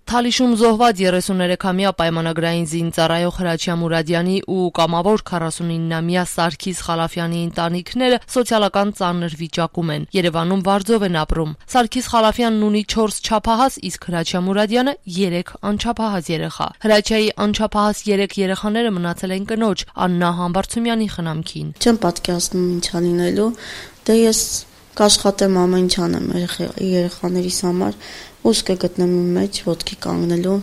Թալիշում զոհված 33-ամյա պայմանագրային զինծառայող Հրաչյա Մուրադյանի ու կամավոր 49-ամյա Սարգիս Խալաֆյանի ընտանիքները սոցիալական ծանր վիճակում են։ Երևանում վարձով են ապրում։ Սարգիս Խալաֆյանն ունի 4 չափահաս, իսկ Հրաչյա Մուրադյանը 3 անչափահաս երեխա։ Հրաչյայի անչափահաս 3 երեխաները մնացել են կնոջ Աննա Համբարձումյանի խնամքին։ Չեմ պատկերացնում ինչա լինելու, դե ես կաշխատեմ ամեն ինչ անեմ երեխաներիս համար, ուս կգտնեմ իմ մեջ ոտքի կանգնելու,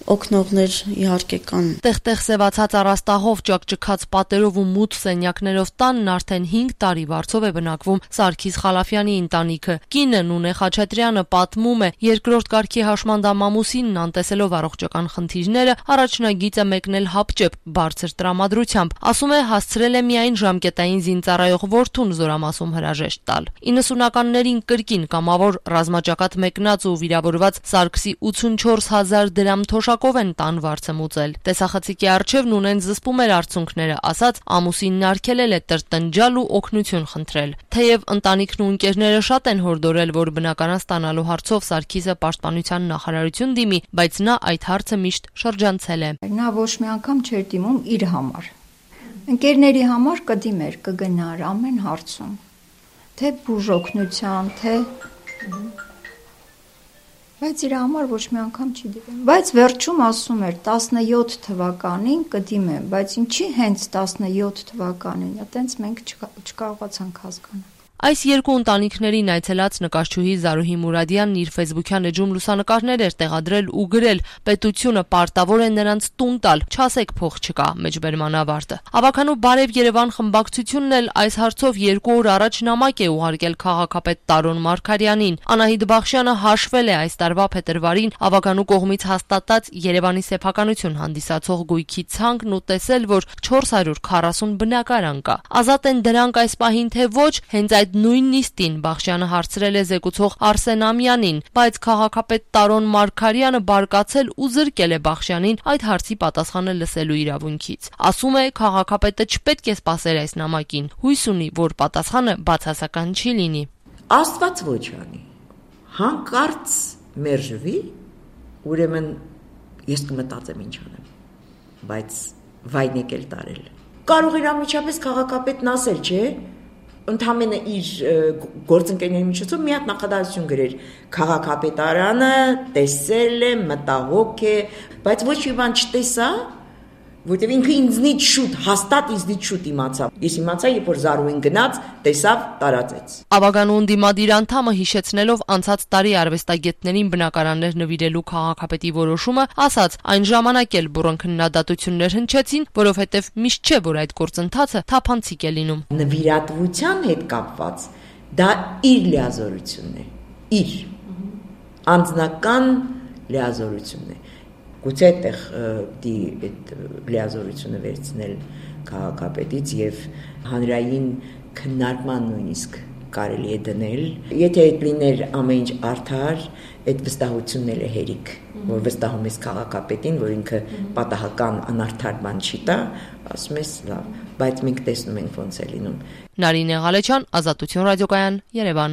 օգնողներ իհարկե կան։ Տեղ-տեղ սևացած առաստաղով, ճակճքած պատերով ու մութ սենյակներով տանն արդեն 5 տարի վարձով է բնակվում Սարգիս Խալաֆյանի ընտանիքը։ Կինը Նունե Խաչատրյանը պատմում է, երկրորդ կարգի հաշմանդամամուսինն անտեսելով առողջական խնդիրները, առաջնագիծ է մեկնել հապճեպ բարձր տրամադրությամբ։ Ասում է, հասցրել է միայն ժամկետային զինծառայող որդուն Զորամասում հրաժեշտ տալ։ 90-ականներին կրկին կամավոր ռազմաճակատ մեկնած ու վիրավորված Սարգսի 84,000 դրամ թոշակով են տան վարձը մուծել։ Տեսախցիկի առջև Նունեն զսպում էր արցունքները, ասաց ամուսինն արգելել է տրտնջալ ու օգնություն խնդրել։ Թեև ընտանիքն ու ընկերները շատ են հորդորել, որ բնականան ստանալու հարցով Սարգիսը պաշտպանության նախարարություն դիմի, բայց նա այդ հարցը միշտ շրջանցել է։ Նա ոչ մի անգամ չէր դիմում իր համար։ Ընկերների համար կդիմեր, կգնար ամեն հարցում։ Թե բուժօգնության, թե բայց իր համար ոչ մի անգամ չի դիմում։ Բայց վերջում ասում էր 17 թվականին կդիմեմ, բայց ինչի հենց 17 թվականին, այտենց մենք չկարողացանք հասկանալ։ Այս երկու ընտանիքներին այցելած նկարչուհի Զարուհի Մուրադյանն իր ֆեյսբուքյան էջում լուսանկարներ էր տեղադրել ու գրել. պետությունը պարտավոր է նրանց տուն տալ, չասեք փող չկա, մեջբերման ավարտը։ Ավականու Բարև Երևան խմբակցությունն էլ այս հարցով 2 օր առաջ նամակ է ուղարկել քաղաքապետ Տարոն Մարգարյանին։ Անահիտ Բախշյանը հաշվել է այս տարվա փետրվարին ավականու կողմից հաստատած Երևանի սեփականություն հանդիսացող գույքի ցանկն ու տեսել, որ 440 բնակարան կա։ Ազատ են դրանք այս պահին թե ոչ, հենց այդ նույն նիստին Բախշյանը հարցրել է զեկուցող Արսեն Ամյանին, բայց քաղաքապետ Տարոն Մարգարյանը բարկացել ու զրկել է Բախշյանին այդ հարցի պատասխանը լսելու իրավունքից։ Ասում է, քաղաքապետը չպետք է սպասեր այս նամակին, հույս ունի, որ պատասխանը բացասական չի լինի։ Աստված ոչ անի, հանկարծ մերժվի, ուրեմն ես կմտածեմ ինչ անեմ, բայց վայն եկել տարել։ Կարող էր անմիջապես քաղաքապետն ասել, չէ՞, ընդամենը իր գործընկերների միջոցով մի հատ նախադասություն գրեր. քաղաքապետարանը տեսել է, մտահոգ է, բայց ոչ մի բան չտեսա, որտեղ ինքը ինձնից շուտ, հաստատ ինձնից շուտ իմացավ։ Ես իմացա, երբ որ Զարուհին գնաց, տեսավ, տարածեց։ Ավականու ընդդիմադիր անդամը հիշեցնելով անցած տարի արվեստագետներին բնակարաններ նվիրելու քաղաքապետի որոշումը, ասաց, այն ժամանակ էլ բուռն քննադատություններ հնչեցին, որովհետև միշտ չէ, որ այդ գործընթացը թափանցիկ է լինում։ Նվիրատվության հետ կապված դա իր լիազորությունն է, իր անձնական լիազորությունն է։ Գուցե այդտեղ այդ լիազորությունը վերցնել քաղաքապետից եւ հանրային քննարկման նույնիսկ կարելի է դնել։ Եթե այդ լիներ ամեն ինչ արդար, այդ վստահությունն էլ է հերիք, որ վստահում ես քաղաքապետին, որ ինքը պատահական անարդար բան չի տա, ասում ես լավ, բայց մենք տեսնում ենք ոնց է լինում։ Նարինե Ղալեչյան, Ազատություն ռադիոկայան, Երևան։